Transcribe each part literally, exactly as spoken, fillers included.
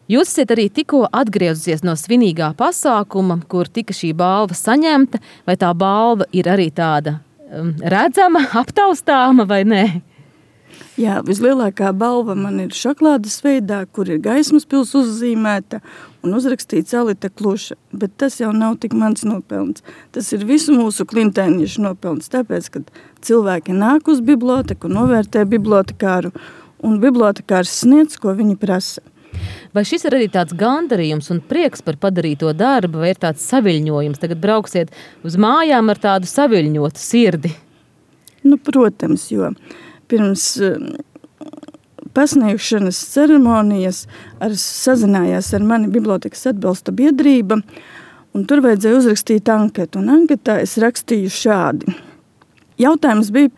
Jūs esat arī tikko atgriezusies no svinīgā pasākuma, kur tika šī balva saņemta, vai tā balva ir arī tāda um, redzama, aptaustāma vai nē? Jā, vislielākā balva man ir šokolādes veidā, kur ir Gaismas pils uzzīmēta un uzrakstīts Alita Kluša, bet tas jau nav tik mans nopelns. Tas ir visu mūsu klintēniešu nopelns, tāpēc, kad cilvēki nāk uz biblioteku, novērtē bibliotekāru, un bibliotekārs sniedz, ko viņi prasa. Vai šis ir arī tāds gandarījums un prieks par padarīto darbu, vai ir tāds saviļņojums? Tagad brauksiet uz mājām ar tādu saviļņotu sirdi. Nu, protams, jo pirms pasniegšanas ceremonijas ar, sazinājās ar mani bibliotekas atbalsta biedrība, un tur vajadzēja uzrakstīt anketu. Un anketā es rakstīju šādi. Jautājums bija,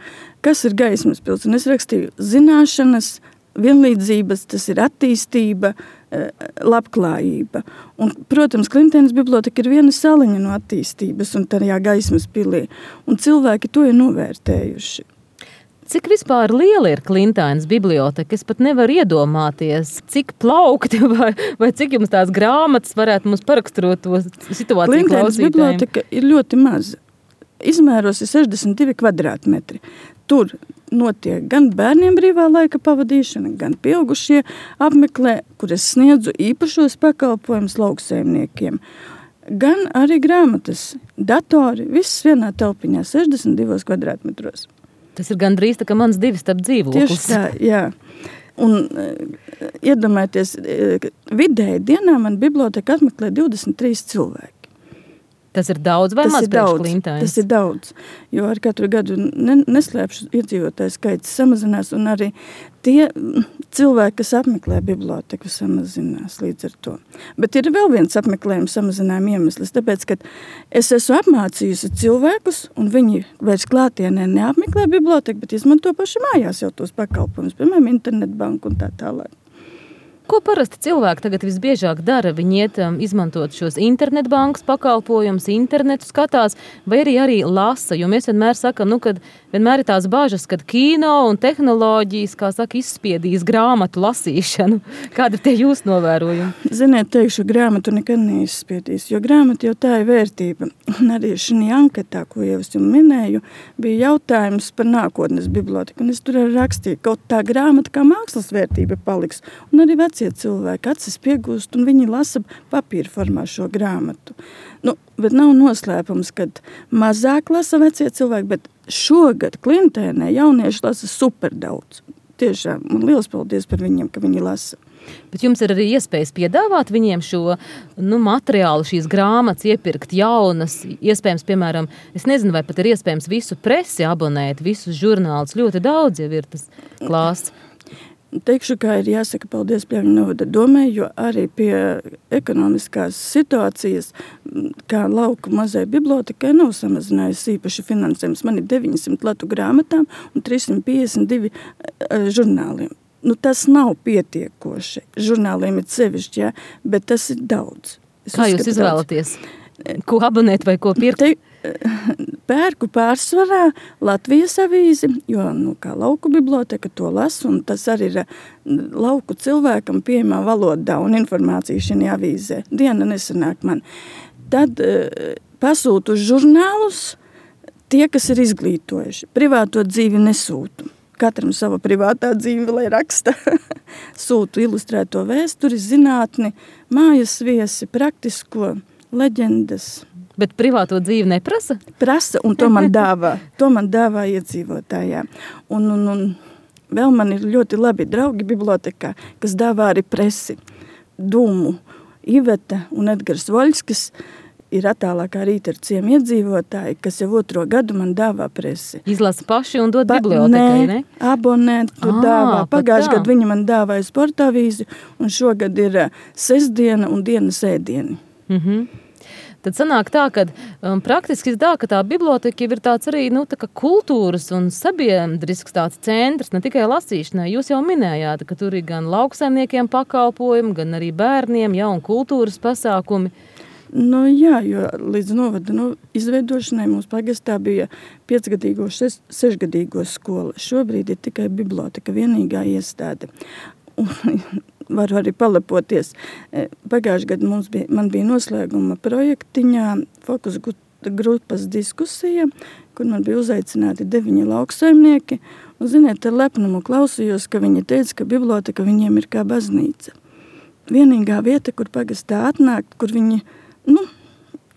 kas ir Gaismas pils? Un es rakstīju zināšanas, vienlīdzības, tas ir attīstība, labklājība. Un, protams, Klintēnas biblioteka ir viena saliņa no attīstības un tajā Gaismas pilī. Un cilvēki to ir novērtējuši. Cik vispār liela ir Klintēnas biblioteka? Es pat nevaru iedomāties, cik plaukti vai, vai cik jums tās grāmatas varētu mums paraksturot to situāciju klausītājiem. Klintēnas biblioteka ir ļoti maza. Izmēros ir sešdesmit divi kvadrātmetri. Tur notiek gan bērniem brīvā laika pavadīšana, gan pieaugušie apmeklē, kur es sniedzu īpašos pakalpojumus lauksaimniekiem. Gan arī grāmatas, datori, viss vienā telpiņā, sešdesmit divos kvadrātmetros. Tas ir gandrīz tā, ka mans divi starp dzīvoklis. Tieši tā, jā. Un iedomājieties, vidēji dienā man biblioteka apmeklē divdesmit trīs cilvēki. Tas ir daudz vai maz priekš Klintēnas? Tas ir daudz, jo ar katru gadu ne, neslēpšu iedzīvotāju skaits samazinās, un arī tie cilvēki, kas apmeklē biblioteku, samazinās līdz ar to. Bet ir vēl viens apmeklējums samazinājuma iemesls, tāpēc, ka es esmu apmācījusi cilvēkus, un viņi vairs klātienē neapmeklē biblioteku, bet izmanto paši mājās jau tos pakalpojumus, piemēram, internetbanku un tā tālāk. Ko parasti cilvēki tagad visbiežāk dara? Viņi iet um, izmantot šos internetbankas pakalpojumus, internetu skatās, vai arī arī lasa, jo mēs vienmēr sakam, nu, kad vienmēr ir tās bažas, kad kino un tehnoloģijas, kā saka, izspiedīs grāmatu lasīšanu. Kāda ir tie jūs novērojumi? Ziniet, teikšu, grāmatu nekad neizspiedīs, jo grāmata jau tā ir vērtība. Un arī šī anketā, ko jau es jums minēju, bija jautājums par nākotnes biblioteku, un es tur arī rakstīju, kaut tā grāmata kā mākslas vērtība paliks, un arī veci cilvēki acis piegūst, un viņi lasa papīra formā šo grāmatu. Nu, bet nav noslēpums, kad mazāk lasa vecie cilvēki, bet šogad Klintēnē jaunieši lasa super daudz. Tiešām, man liels paldies par viņiem, ka viņi lasa. Bet jums ir arī iespējas piedāvāt viņiem šo nu, materiālu, šīs grāmatas, iepirkt jaunas, iespējams, piemēram, es nezinu, vai pat ir iespējams visu presi abonēt, visus žurnālus, ļoti daudz jau ir tas klāsts. Teikšu, kā ir jāsaka paldies Pļavņu novada domē, jo arī pie ekonomiskās situācijas, kā lauku mazai bibliotekai, nav samazinājusi īpaši finansējums. Man ir deviņsimt latu grāmatām un trīssimt piecdesmit divi uh, žurnāliem. Nu, tas nav pietiekoši. Žurnāliem ir sevišķi, jā, bet tas ir daudz. Es kā jūs izvēlaties? Ko abonēt vai ko pirkt? Te, pērku pārsvarā Latvijas avīzi, jo, nu, kā lauku biblioteka to lasu, un tas arī ir lauku cilvēkam pieejamā valodā un informācija šajā avīzē. Diena nesanāk man. Tad uh, pasūtu žurnālus tie, kas ir izglītojuši. Privāto dzīvi nesūtu. Katram sava privātā dzīve, lai raksta. Sūtu ilustrēto vēsturi, zinātni, mājas viesi, praktisko, leģendas. Bet privāto dzīvi neprasa? Prasa, un to man dāvā. To man dāvā iedzīvotājā. Un, un, un vēl man ir ļoti labi draugi bibliotekā, kas dāvā arī presi. Dūmu, Iveta un Edgars Voļskis ir attālākā rīta ar ciem iedzīvotāji, kas jau otro gadu man dāvā presi. Izlasa paši un dod ba- bibliotekai, ne? Nē, abonēt, tu Ā, dāvā. pat Pagājuši tā. gadu viņi man dāvāja sporta avīzi, un šogad ir uh, sestdiena un dienas ēdieni. Mhm. Tad sanāk tā, ka um, praktiski tā, ka tā biblioteka jau ir tāds arī, nu, tā kā kultūras un sabiedrisks tāds centrs, ne tikai lasīšanai. Jūs jau minējāt, ka tur ir gan lauksaimniekiem pakalpojumi, gan arī bērniem, ja, un kultūras pasākumi. Nu, jā, jo līdz novada nu, izveidošanai mums pagastā bija piecgadīgo, šeš, sešgadīgo skola. Šobrīd ir tikai biblioteka, vienīgā iestāde. Un, varu arī palepoties. Pagājuši gadu mums bija, man bija noslēguma projektiņā fokus grupas diskusija, kur man bija uzaicināti deviņi lauksaimnieki. Un, ziniet, ar lepnumu klausījos, ka viņi teica, ka biblioteka viņiem ir kā baznīca. Vienīgā vieta, kur pagastā atnākt, kur viņi, nu,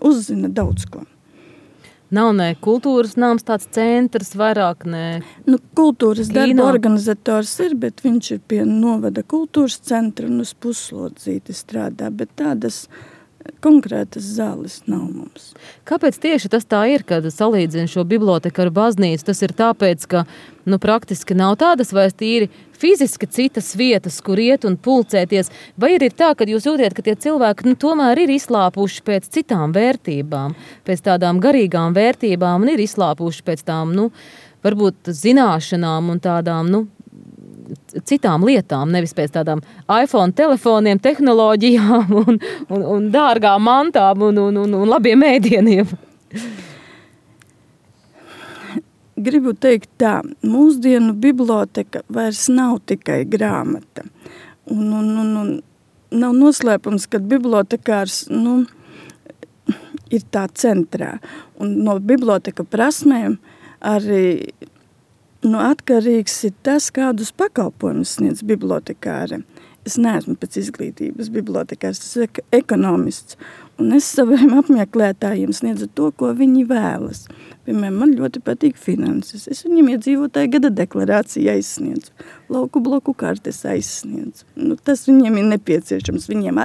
uzzina daudz ko. Nav ne kultūras nams tāds centrs, vairāk ne... Nu, kultūras Kino. darba organizators ir, bet viņš ir pie novada kultūras centra un uz Puslodzīti strādā, bet tādas konkrētas zāles nav mums. Kāpēc tieši tas tā ir, kad salīdzina šo biblioteku ar baznīcu? Tas ir tāpēc, ka nu, praktiski nav tādas vairs tīri fiziski citas vietas, kur iet un pulcēties, vai ir tā, ka jūs jūtiet, ka tie cilvēki nu, tomēr ir izslāpuši pēc citām vērtībām, pēc tādām garīgām vērtībām un ir izslāpuši pēc tām, nu, varbūt zināšanām un tādām, nu, citām lietām, nevis pēc tādām iPhone telefoniem, tehnoloģijām un, un, un dārgām mantām un, un, un, un labiem ēdieniem. Gribu teikt tā, mūsdienu biblioteka vairs nav tikai grāmata. Un, un, un, un nav noslēpums, ka bibliotekārs, nu, ir tā centrā. Un no biblioteka prasmēm arī nu, atkarīgs ir tas, kādus pakalpojumus sniedz bibliotekāri. Es neesmu pēc izglītības bibliotekārs, tas ir ekonomists. Un es saviem apmeklētājiem sniedzu to, ko viņi vēlas. Piemēram, man ļoti patīk finanses. Es viņiem iedzīvotāju gada deklarāciju aizsniedzu. Lauku bloku kartes aizsniedzu. Nu, tas viņiem ir nepieciešams. Viņiem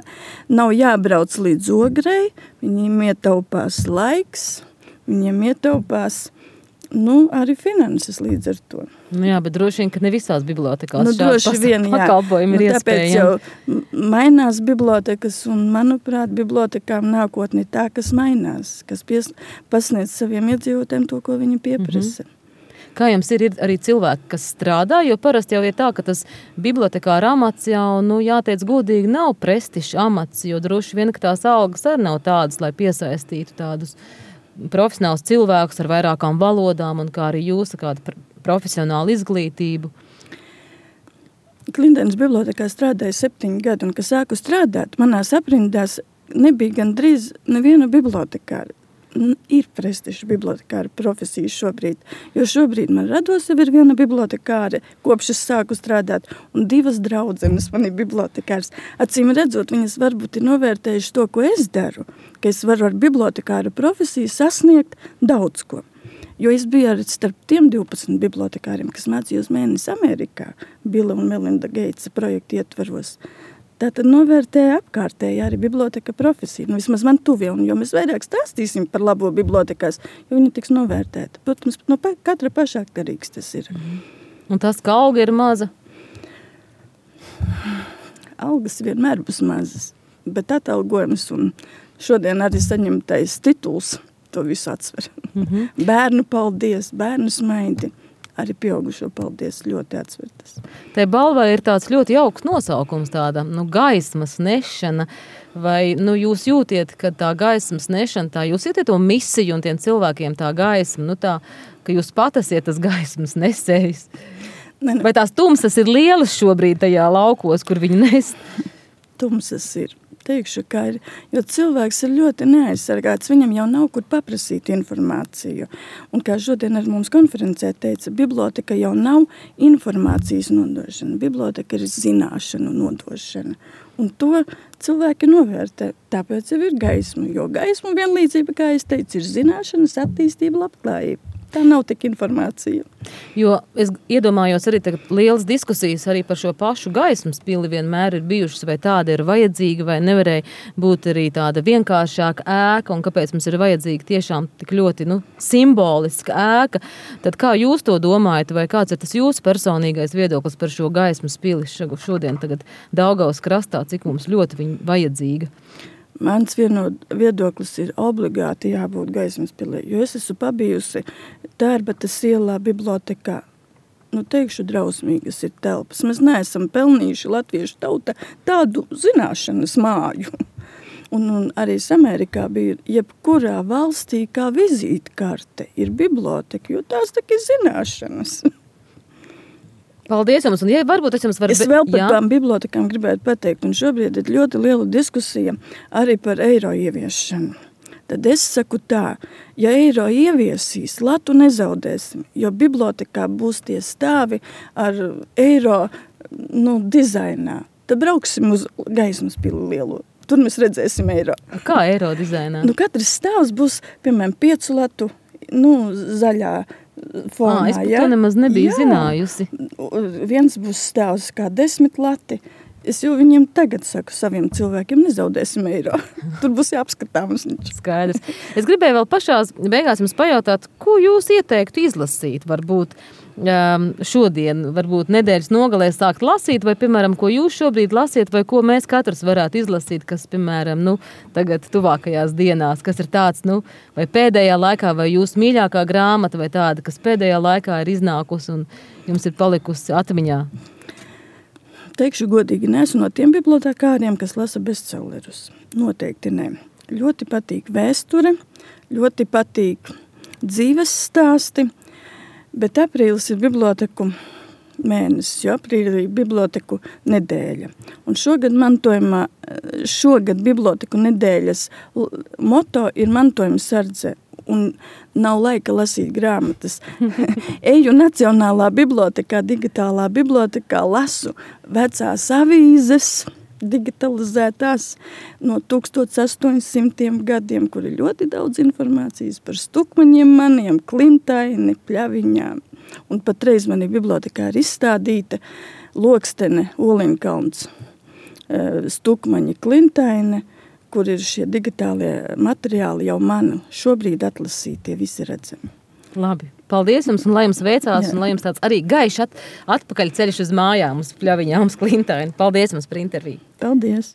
nav jābrauc līdz Ogrei, viņiem ietaupās laiks, viņiem ietaupās nu, arī finanses līdz ar to. Nu jā, bet droši vien, ka ne visās bibliotekās nu, šādi vien, pakalpojumi nu, ir iespējami. Tāpēc jau mainās bibliotekas un, manuprāt, bibliotekām nākotni tā, kas mainās, kas pies, pasniedz saviem iedzīvotājiem to, ko viņi pieprasa. Mm-hmm. Kā jums ir, ir arī cilvēki, kas strādā, jo parasti jau ir tā, ka tas bibliotekāra amats jau, nu, jāteic godīgi, nav prestižs amats, jo droši vien, ka tās algas arī nav tādas, lai piesaistītu tādus profesionāls cilvēkus ar vairākām valodām un kā arī jūs ar kādu profesionālu izglītību. Klindenes bibliotekā strādāja septiņi gadi, un, kad sāku strādāt, manās aprindās nebija gandrīz neviena bibliotekāra. Ir prestiža bibliotekāra profesija šobrīd, jo šobrīd man rados jau ir viena bibliotekāra, kopš es sāku strādāt, un divas draudzenes man ir bibliotekāras. Acīm redzot, viņas varbūt ir novērtējuši to, ko es daru, ka es varu ar bibliotekāra profesiju sasniegt daudz ko. Jo es biju arī starp tiem divpadsmit bibliotekāriem, kas mācījos mēnesi Amerikā, Bila un Melinda Geitsa projektu ietvaros. Tātad novērtēja apkārtēji arī biblioteka profesiju. Nu, vismaz man tuvie, un jo mēs vairāk stāstīsim par labo bibliotekās, jo viņa tiks novērtēta. Protams, no pa, katra pašā atkarīgs tas ir. Mm. Un tas, ka alga ir maza? Algas vienmēr būs mazas, bet atalgojums un šodien arī saņemtais tituls to visu atsver. Mm-hmm. Bērnu paldies, bērnu smaidi. Arī pieaugušo paldies ļoti atsvertas. Te balvai ir tāds ļoti jauks nosaukums, tāda nu, gaismas nešana, vai nu, jūs jūtiet, ka tā gaismas nešana, tā jūs jūtiet to misiju un tiem cilvēkiem tā gaisma, nu tā, ka jūs pat esiet tas gaismas nesējs? Ne, ne. Vai tās tumsas ir lielas šobrīd tajā laukos, kur viņi nes? Tumsas ir. Teikšu, kā ir, jo cilvēks ir ļoti neaizsargāts, viņam jau nav kur paprasīt informāciju. Un kā šodien ar mums konferencē teica, biblioteka jau nav informācijas nodošana, biblioteka ir zināšanu nodošana. Un to cilvēki novērtē, tāpēc jau ir gaisma, jo gaisma vienlīdzība, kā es teicu, ir zināšanas, attīstība, labklājība. Tā nav tik informācija. Jo es iedomājos arī tagad lielas diskusijas arī par šo pašu gaismas pili vienmēr ir bijušas, vai tāda ir vajadzīga, vai nevarēja būt arī tāda vienkāršāka ēka, un kāpēc mums ir vajadzīga tiešām tik ļoti nu, simboliska ēka. Tad kā jūs to domājat, vai kāds ir tas jūsu personīgais viedoklis par šo gaismas pili šodien tagad Daugavas krastā, cik mums ļoti viņa vajadzīga? Mans vieno viedoklis ir obligāti jābūt gaismas pilī, jo es esmu pabijusi Tērbatas ielā bibliotekā. Nu, teikšu, drausmīgas ir telpas. Mēs neesam pelnījuši latviešu tauta tādu zināšanas māju. Un, un arī Amerikā bija jebkurā valstī kā vizītkarte ir biblioteka, jo tās tak ir zināšanas. Paldies jums, un ja varbūt es jums varu... Es vēl par jā. tām bibliotekām gribētu pateikt, un šobrīd ir ļoti liela diskusija arī par eiro ieviešanu. Tad es saku tā, ja eiro ieviesīs, latu nezaudēsim, jo bibliotekā būs tie stāvi ar eiro nu, dizainā. Tad brauksim uz Gaismas pili lielo. Tur mēs redzēsim eiro. Kā eiro dizainā? Nu, katrs stāvs būs, piemēram, piecu latu, nu, zaļā fonā. À, es par to nemaz nebiju jā. zinājusi. Viens būs stāvs kā desmit lati. Es jau viņiem tagad saku saviem cilvēkiem, nezaudēsim eiro. Tur būs jāapskatāms. Skaidrs. Es gribēju vēl pašās beigās jums pajautāt, ko jūs ieteiktu izlasīt, varbūt um, šodien, varbūt nedēļas nogalē sākt lasīt, vai, piemēram, ko jūs šobrīd lasiet, vai ko mēs katrs varētu izlasīt, kas, piemēram, nu, tagad tuvākajās dienās, kas ir tāds, nu, vai pēdējā laikā, vai jūsu mīļākā grāmata, vai tāda, kas pēdējā laikā ir iznākusi un jums ir palikusi atmiņā. Teikšu godīgi, neesmu no tiem bibliotekāriem, kas lasa bestsellerus. Noteikti ne. Ļoti patīk vēsture, ļoti patīk dzīves stāsti, bet aprīlis ir biblioteku mēnesis, jo aprīlī ir biblioteku nedēļa. Un šogad mantojumā, šogad biblioteku nedēļas moto ir mantojuma sardze. Un nav laika lasīt grāmatas. Eju Nacionālā bibliotekā, digitālā bibliotekā, lasu vecās avīzes, digitalizētās no tūkstoš astoņsimtiem gadiem, kur ir ļoti daudz informācijas par Stukmaņiem, maniem, Klintaini, Pļaviņām. Un patreiz manī bibliotekā ir izstādīta Lokstene, Oliņkalns, Stukmaņi, Klintaini, kur ir šie digitālie materiāli jau manu šobrīd atlasītie, visi redzami. Labi, paldies jums un lai jums veicās, Jā. un lai jums tāds arī gaišs at, atpakaļ ceļš uz mājām, uz Pļaviņām, uz Klintaini. Paldies jums par interviju. Paldies.